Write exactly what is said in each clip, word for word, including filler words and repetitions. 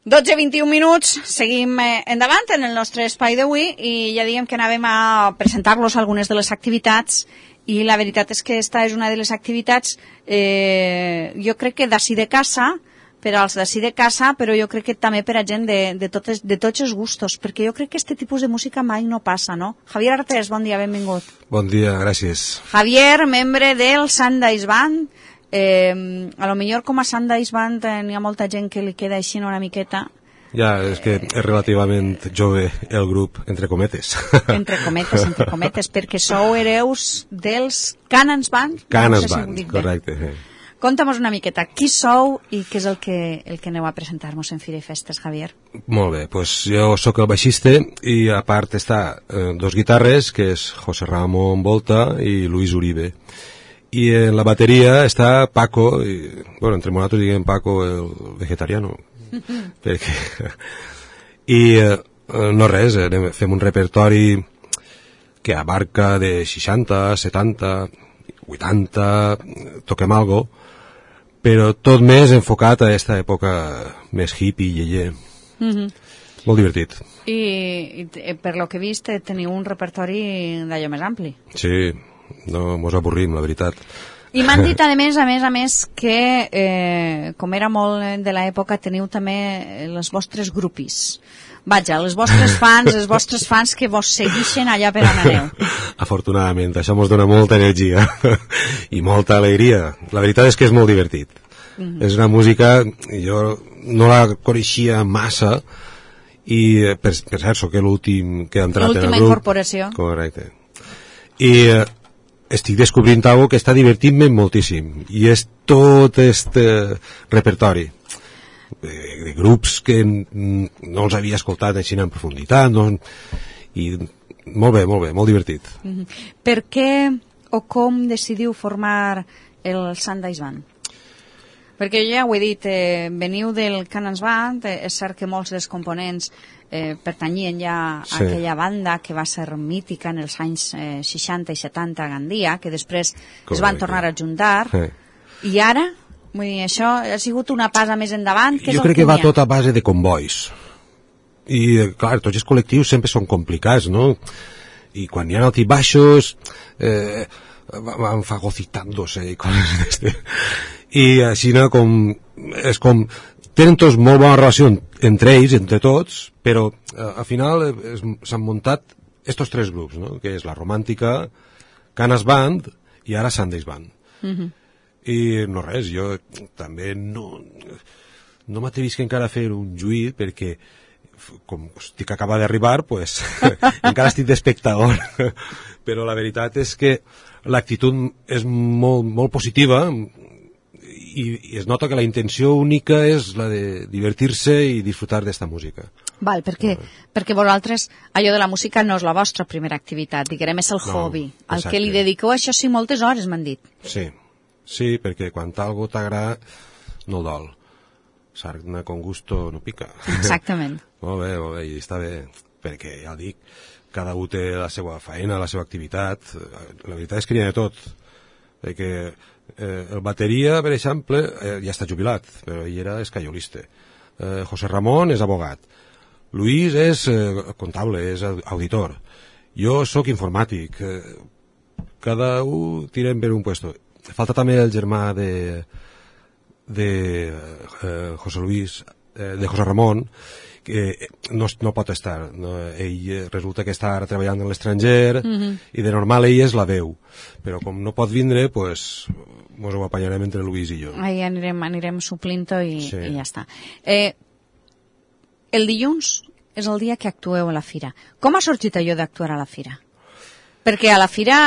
dotze i vint-i-un minuts, seguim eh, endavant en el nostre espai d'avui i ja diem que anàvem a presentar-los algunes de les activitats i la veritat és que esta és una de les activitats, eh, jo crec que d'ací de casa, per als d'ací de casa, però jo crec que també per a gent de, de, totes, de tots els gustos, perquè jo crec que aquest tipus de música mai no passa, no? Javier Artés, bon dia, benvingut. Bon dia, gràcies. Javier, membre del Sundays Band. Eh, a lo millor com a Sundays Band eh, n'hi ha molta gent que li queda així una miqueta. Ja, és que és relativament jove el grup, entre cometes. Entre cometes, entre cometes, perquè sou hereus dels Canans Band. Canans no sé Band, si correcte. Sí. Conta'm una miqueta, qui sou i què és el que, el que aneu a presentar-nos en Fira i Festes, Javier? Molt bé, doncs jo sóc el baixista i a part està eh, dos guitarres, que és José Ramón Volta i Luis Uribe. I en la bateria està Paco, i, bueno, entre nosaltres diguem Paco el vegetariano, perquè... I eh, no res, eh, fem un repertori que abarca de seixanta, setanta, vuitanta, toquem algo, però tot més enfocat a aquesta època més hippie, lleller. Mm-hmm. Molt divertit. I, I per lo que he vist teniu un repertori d'allò més ampli. Sí, no mos avorrim, la veritat. I m'han dit, a més, a més, a més, que, eh, com era molt de l'època, teniu també els vostres grupis. Vaja, els vostres fans, els vostres fans que vos seguixen allà per on aneu. Afortunadament, això mos dona molta energia i molta alegria. La veritat és que és molt divertit. Mm-hmm. És una música, jo no la coneixia massa, i per, per cert, sóc l'últim que ha entrat en el grup. L'última incorporació. Correcte. I eh, estic descobrint algo que està divertint-me moltíssim, i és tot este repertori de, de grups que no els havia escoltat així en profunditat, no? I molt bé, molt bé, molt divertit. Mm-hmm. Per què o com decidiu formar el Sundays Band? Perquè ja ho he dit, eh, veniu del Canans Band, eh, és cert que molts dels components eh, pertanyien ja a sí. aquella banda que va ser mítica en els anys eh, seixanta i setanta a Gandia, que després Correcte. Es van tornar a juntar, sí. I ara, vull dir, això ha sigut una passa més endavant. Jo crec que, que va tot a base de convois. I, clar, tots els col·lectius sempre són complicats, no? I quan hi ha altibaixos, eh, van fagocitant-se i coses d'este... I així com, és com tenen tots molt bona relació entre ells, entre tots, però eh, al final s'han muntat estos tres grups, no? Que és la Romàntica, Canas Band i ara Sundays Band. Mm-hmm. I no res, jo també no, no m'atrevisc encara a fer un juït perquè com estic acaba d'arribar, pues, encara estic d'espectador, però la veritat és que l'actitud és molt, molt positiva, i, i es nota que la intenció única és la de divertir-se i disfrutar d'esta música. Val, perquè, uh, perquè vosaltres, allò de la música no és la vostra primera activitat, diguem, és el no, hobby, al que li dediqueu això sí moltes hores, m'han dit. Sí, sí, perquè quan algo t'agrada no dol. Sarna con gusto no pica. Exactament. Molt bé, molt bé, i està bé, perquè ja dic, cada un té la seva feina, la seva activitat, la veritat és que n'hi ha de tot, perquè eh, el bateria, per exemple, eh, ja està jubilat, però ell era escaiolista. Eh, José Ramón és abogat. Luis és eh, comptable, és auditor. Jo sóc informàtic. Eh, cada un tirem per un puesto. Falta també el germà de, de eh, José Luis, eh, de José Ramón, que no, no pot estar. No? Ell resulta que està ara treballant a l'estranger, mm-hmm. i de normal ell és la veu. Però com no pot vindre, pues, mos ho apanyarem entre Luis i jo. Ahí anirem, anirem suplint-ho i, sí. i ja està. Eh, el dilluns és el dia que actueu a la fira. Com ha sorgit allò d'actuar a la fira? Perquè a la fira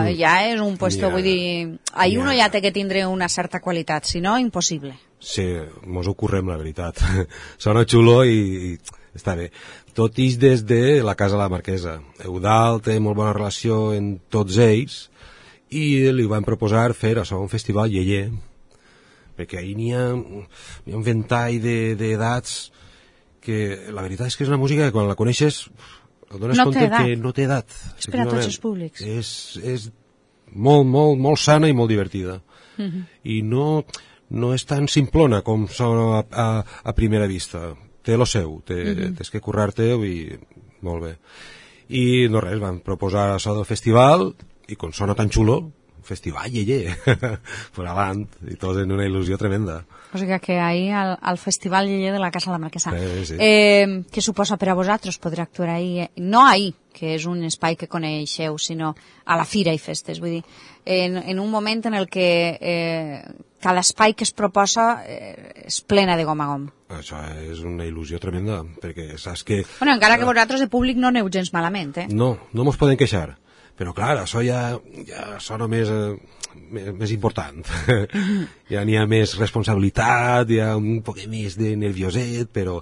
mm. ja és un puesto, ja, vull dir, ahí ja. Uno ja té que tindre una certa qualitat, si no, impossible. Sí, mos ho currem, la veritat. Sona xulo i, i està bé. Tot ix des de la Casa de la Marquesa. Eudald té molt bona relació en tots ells i li van proposar fer això, un festival lleller, perquè ahir n'hi ha, n'hi ha un ventall d'edats que la veritat és que és una música que quan la coneixes et dones no compte que no té edat. És per a tots els públics. És, és molt, molt, molt sana i molt divertida. Uh-huh. I no, no és tan simplona com sona a, a, a primera vista. té lo seu, té, mm-hmm. tens que currar-te-ho i molt bé. I no res, van proposar això del festival i com sona tan xulo, festival, ye, ye, per avant, i tot en una il·lusió tremenda. O sigui que ahir al, al Festival Lleller de la Casa la Marquesa. Sí, sí. Eh, què suposa per a vosaltres poder actuar ahir? No ahir, que és un espai que coneixeu, sinó a la Fira i Festes, vull dir, en, en un moment en el que eh, cada espai que es proposa eh, és plena de gom a gom. Això és una il·lusió tremenda, perquè saps que... Bueno, encara que vosaltres de públic no aneu gens malament, eh? No, no mos podem queixar. Però, clar, això ja, ja sona més, eh, més, més important. Ja n'hi ha més responsabilitat, hi ha un poc més de nervioset, però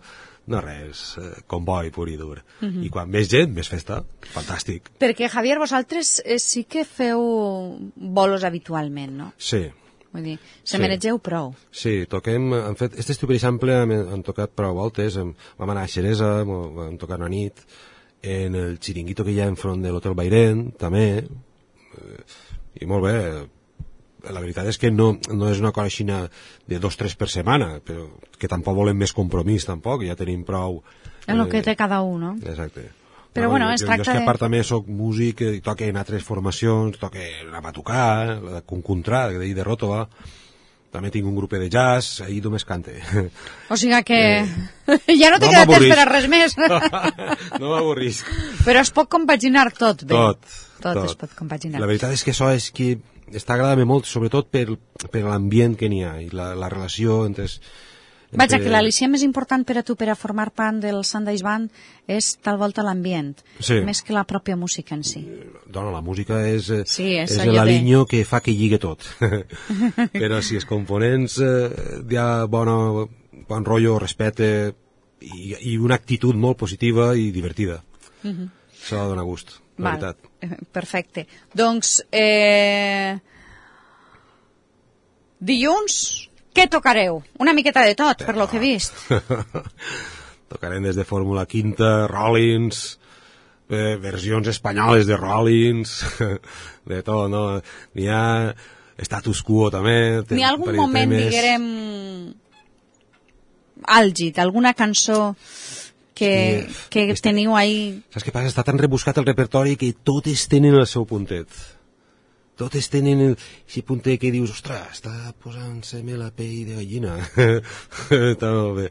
no res, eh, comboi pur i dur. Uh -huh. I quan més gent, més festa. Fantàstic. Perquè, Javier, vosaltres eh, sí que feu bolos habitualment, no? Sí. Vull dir, se sí. mereixeu prou. Sí, toquem, han fet, este estiu, per exemple, hem, hem tocat prou voltes, hem, vam anar a Xeresa, vam tocar una nit, en el xiringuito que hi ha enfront de l'Hotel Bairén, també, eh, i molt bé. La veritat és que no, no és una cosa així de dos tres per setmana, però que tampoc volem més compromís, tampoc, ja tenim prou... En el eh, que té cada un, no? Exacte. Però, no, bueno, jo, es jo, tracta jo és que a part de... també soc músic, i toque en altres formacions, toque la Batucà, la de Concontrà, de, de Ròtova, també tinc un grup de jazz, ahir només cante. O sigui que eh, ja no te no queda temps per a res més. No m'avorrisc. Però es pot compaginar tot bé. Tot, tot. Tot es pot compaginar. La veritat és que això és que està agradant molt, sobretot per, per l'ambient que n'hi ha i la, la relació entre... entre... Vaja, que l'al·licient més important per a tu per a formar part del Sundays Band és tal volta l'ambient, sí. més que la pròpia música en si. Dona, la música és, sí, és, és l'aliño de... que fa que lligue tot. Però si els components eh, hi ha bona, bon rotllo, respecte i, i una actitud molt positiva i divertida. Uh -huh. Això dona gust, la Val. veritat. Perfecte. Doncs, eh... dilluns, què tocareu? Una miqueta de tot, per lo que he vist. Tocarem des de Fórmula Quinta, Rollins, eh, versions espanyoles de Rollins, de tot, no? N'hi ha Status Quo, també. N'hi ha algun moment, temes... diguem, àlgid, alguna cançó que, sí, que està, teniu ahí... Saps què passa? Està tan rebuscat el repertori que totes tenen el seu puntet. Totes tenen el, si puntet que dius, ostres, està posant-se-me la pell de gallina. Està molt bé.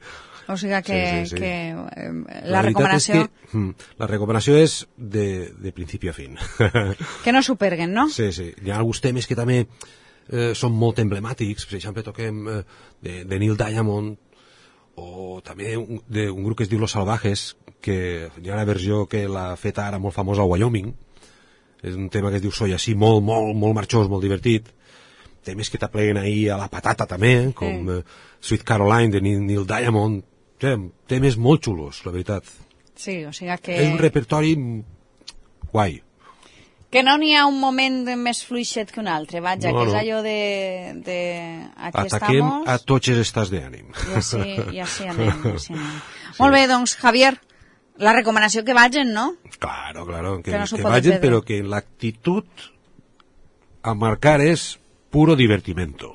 O sigui que, sí, sí, sí. que eh, la, la recomanació... Que, la recomanació és de, de principi a fin. Que no s'ho perguen, no? Sí, sí. Hi ha alguns temes que també eh, són molt emblemàtics. Per exemple, toquem eh, de, de Neil Diamond, o també un, de un grup que es diu Los Salvajes, que hi ha una versió que l'ha fet ara molt famosa a Wyoming. És un tema que es diu Soy Así, molt, molt, molt marxós, molt divertit. Temes que t'apleguen ahir a la patata també, com sí. uh, Sweet Caroline de Neil Diamond. Temes molt xulos, la veritat. Sí, o sigui que... És un repertori guai. Que no n'hi ha un moment més fluixet que un altre, vaja, no, que és no. allò de... de aquí Ataquem estamos. A tots els estats d'ànim. I així, i així anem, i així anem. Sí. Molt bé, doncs, Javier, la recomanació que vagin, no? Claro, claro, que, que, no que vagin, però que l'actitud a marcar és puro divertimento.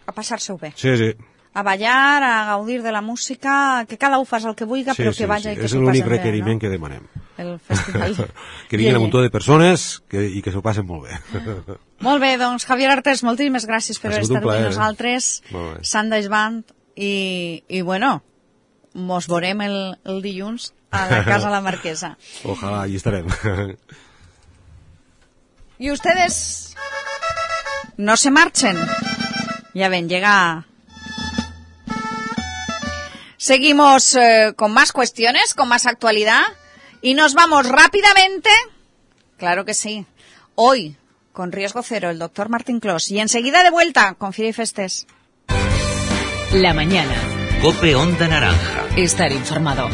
A passar-se-ho bé. Sí, sí. A ballar, a gaudir de la música, que cada un fas el que vulgui, sí, però que sí, vaja sí. i que s'ho s'ho passen bé. És l'únic requeriment, no? Que demanem. El festival. Que vinguin un muntó de persones que, i que s'ho passen molt bé. Molt bé, doncs, Javier Artés, moltíssimes gràcies per estar amb nosaltres. Eh? Sundays Band, i, i bueno, mos veurem el, el dilluns a la Casa la Marquesa. Ojalá, allí estarem. Y ustedes no se marchen. Ya ven, llega... Seguimos eh, con más cuestiones, con más actualidad, y nos vamos rápidamente, claro que sí, hoy, con Riesgo Cero, el doctor Martín Clos, y enseguida de vuelta con Fira y Festes. La mañana. COPE Onda Naranja. Estar informado.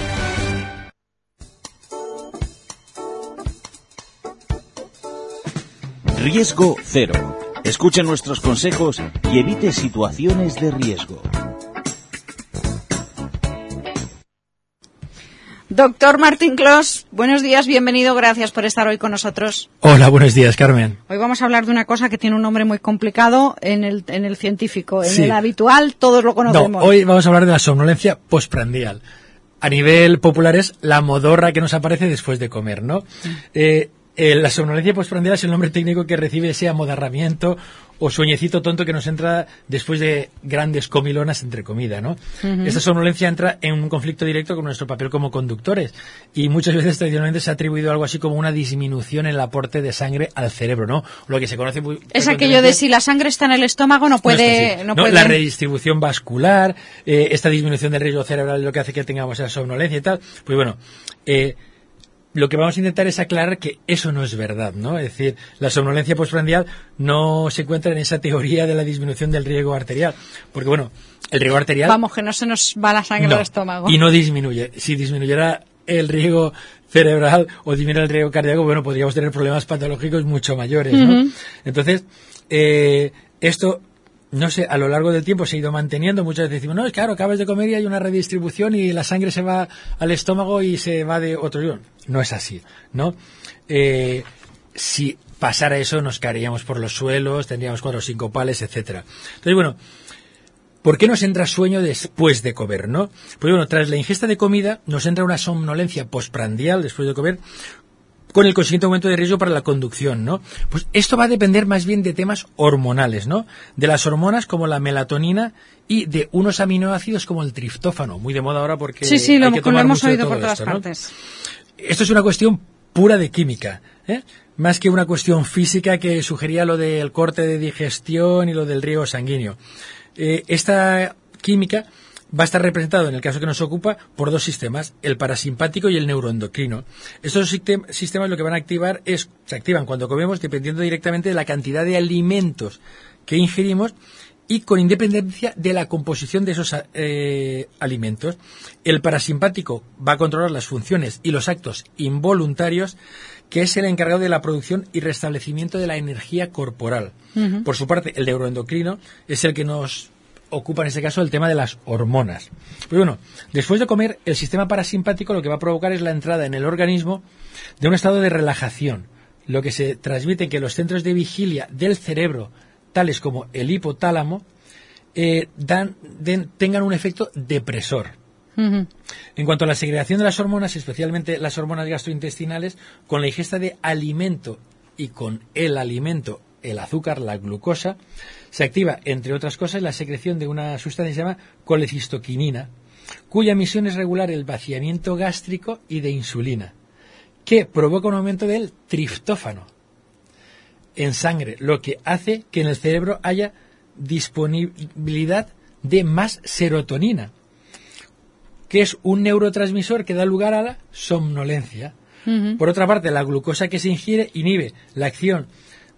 Riesgo Cero. Escuche nuestros consejos y evite situaciones de riesgo. Doctor Martín Clos, buenos días, bienvenido, gracias por estar hoy con nosotros. Hola, buenos días, Carmen. Hoy vamos a hablar de una cosa que tiene un nombre muy complicado en el, en el científico. En sí. el habitual todos lo conocemos. No, hoy vamos a hablar de la somnolencia postprandial. a nivel popular es la modorra que nos aparece después de comer, ¿no? Eh, eh, la somnolencia postprandial es el nombre técnico que recibe ese amodarramiento o sueñecito tonto que nos entra después de grandes comilonas entre comida, ¿no? Uh-huh. Esta somnolencia entra en un conflicto directo con nuestro papel como conductores y muchas veces tradicionalmente se ha atribuido algo así como una disminución en el aporte de sangre al cerebro, ¿no? Lo que se conoce muy es aquello de si la sangre está en el estómago no puede... No, no no, puede... La redistribución vascular, eh, esta disminución del riesgo cerebral es lo que hace que tengamos esa somnolencia y tal. Pues bueno, eh, lo que vamos a intentar es aclarar que eso no es verdad, ¿no? Es decir, la somnolencia postprandial no se encuentra en esa teoría de la disminución del riego arterial, porque bueno, el riego arterial... Vamos, que no se nos va la sangre no, al estómago. Y no disminuye. Si disminuyera el riego cerebral o disminuyera el riego cardíaco, bueno, podríamos tener problemas patológicos mucho mayores, ¿no? Uh-huh. Entonces, eh, esto... no sé, a lo largo del tiempo se ha ido manteniendo. Muchas veces decimos, no, es claro, acabas de comer y hay una redistribución y la sangre se va al estómago y se va de otro lugar. No es así, ¿no? Eh, si pasara eso, nos caeríamos por los suelos, tendríamos cuatro sincopales, etcétera. Entonces, bueno, ¿por qué nos entra sueño después de comer, no? Pues bueno, tras la ingesta de comida nos entra una somnolencia postprandial después de comer, con el consiguiente aumento de riesgo para la conducción, ¿no? Pues esto va a depender más bien de temas hormonales, ¿no? De las hormonas como la melatonina y de unos aminoácidos como el triptófano, muy de moda ahora porque sí, sí, hay lo, que tomar lo hemos mucho oído de todo por todas esto, ¿no? partes. Esto es una cuestión pura de química, ¿eh? Más que una cuestión física que sugería lo del corte de digestión y lo del riego sanguíneo. Eh, esta química va a estar representado, en el caso que nos ocupa, por dos sistemas, el parasimpático y el neuroendocrino. Estos sistemas lo que van a activar es, se activan cuando comemos dependiendo directamente de la cantidad de alimentos que ingerimos y con independencia de la composición de esos eh, alimentos. El parasimpático va a controlar las funciones y los actos involuntarios, que es el encargado de la producción y restablecimiento de la energía corporal. Uh-huh. Por su parte, el neuroendocrino es el que nos ocupa en este caso el tema de las hormonas. Pues bueno, después de comer, el sistema parasimpático lo que va a provocar es la entrada en el organismo de un estado de relajación, lo que se transmite en que los centros de vigilia del cerebro, tales como el hipotálamo, eh, dan, den, tengan un efecto depresor. Uh-huh. En cuanto a la segregación de las hormonas, especialmente las hormonas gastrointestinales, con la ingesta de alimento y con el alimento, el azúcar, la glucosa, se activa, entre otras cosas, la secreción de una sustancia que se llama colecistoquinina, cuya emisión es regular el vaciamiento gástrico y de insulina, que provoca un aumento del triptófano en sangre, lo que hace que en el cerebro haya disponibilidad de más serotonina, que es un neurotransmisor que da lugar a la somnolencia. Uh-huh. Por otra parte, la glucosa que se ingiere inhibe la acción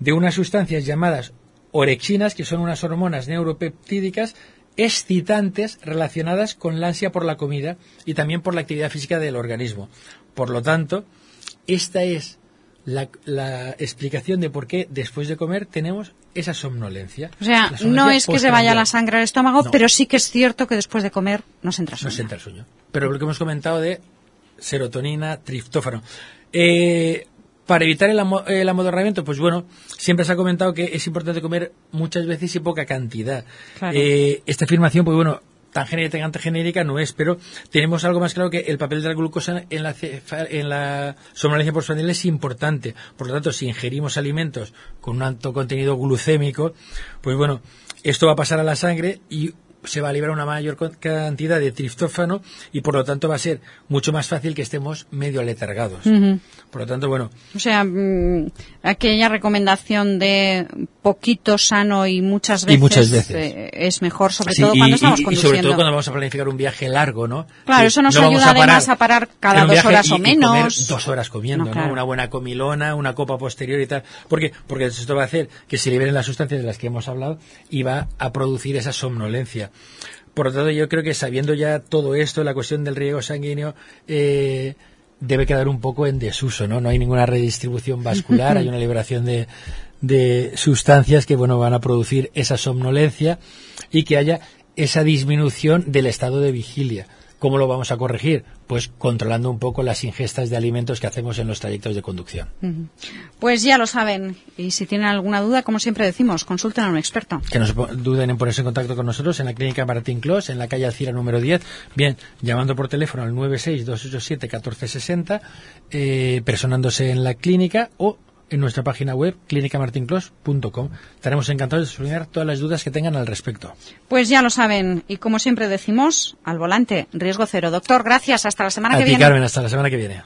de unas sustancias llamadas orexinas, que son unas hormonas neuropeptídicas excitantes relacionadas con la ansia por la comida y también por la actividad física del organismo. Por lo tanto, esta es la, la explicación de por qué después de comer tenemos esa somnolencia. O sea, somnolencia no es que se vaya la sangre al estómago, no. Pero sí que es cierto que después de comer nos entra sueño. Nos entra el sueño. Pero lo que hemos comentado de serotonina, triptófano. Eh... Para evitar el, amo, el amodorramiento, pues bueno, siempre se ha comentado que es importante comer muchas veces y poca cantidad. Claro. Eh, esta afirmación, pues bueno, tan genérica, tan genérica no es, pero tenemos algo más claro que el papel de la glucosa en la, en la somnolencia postprandial es importante. Por lo tanto, si ingerimos alimentos con un alto contenido glucémico, pues bueno, esto va a pasar a la sangre y se va a liberar una mayor cantidad de triptófano y por lo tanto va a ser mucho más fácil que estemos medio aletargados. Uh-huh. Por lo tanto, bueno. O sea, mmm, aquella recomendación de poquito sano y muchas veces, y muchas veces. Eh, es mejor, sobre sí, todo y, cuando estamos y, conduciendo. Y sobre todo cuando vamos a planificar un viaje largo, ¿no? Claro, que eso nos no ayuda además a parar cada dos horas y, o menos. Y comer dos horas comiendo, no, claro. ¿no? Una buena comilona, una copa posterior y tal. ¿Por qué? Porque esto va a hacer que se liberen las sustancias de las que hemos hablado y va a producir esa somnolencia. Por lo tanto, yo creo que sabiendo ya todo esto, la cuestión del riego sanguíneo eh, debe quedar un poco en desuso, ¿no? No hay ninguna redistribución vascular, hay una liberación de, de sustancias que, bueno, van a producir esa somnolencia y que haya esa disminución del estado de vigilia. ¿Cómo lo vamos a corregir? Pues controlando un poco las ingestas de alimentos que hacemos en los trayectos de conducción. Uh-huh. Pues ya lo saben, y si tienen alguna duda, como siempre decimos, consulten a un experto. Que no se duden en ponerse en contacto con nosotros en la Clínica Martín Clos, en la calle Alcira número diez, bien, llamando por teléfono al nueve seis dos ocho siete uno cuatro seis cero, eh, personándose en la clínica o en nuestra página web clínica martin clos punto com. Estaremos encantados de solucionar todas las dudas que tengan al respecto. Pues ya lo saben, y como siempre decimos, al volante, riesgo cero. Doctor, gracias, hasta la semana a que ti, viene. Carmen, hasta la semana que viene.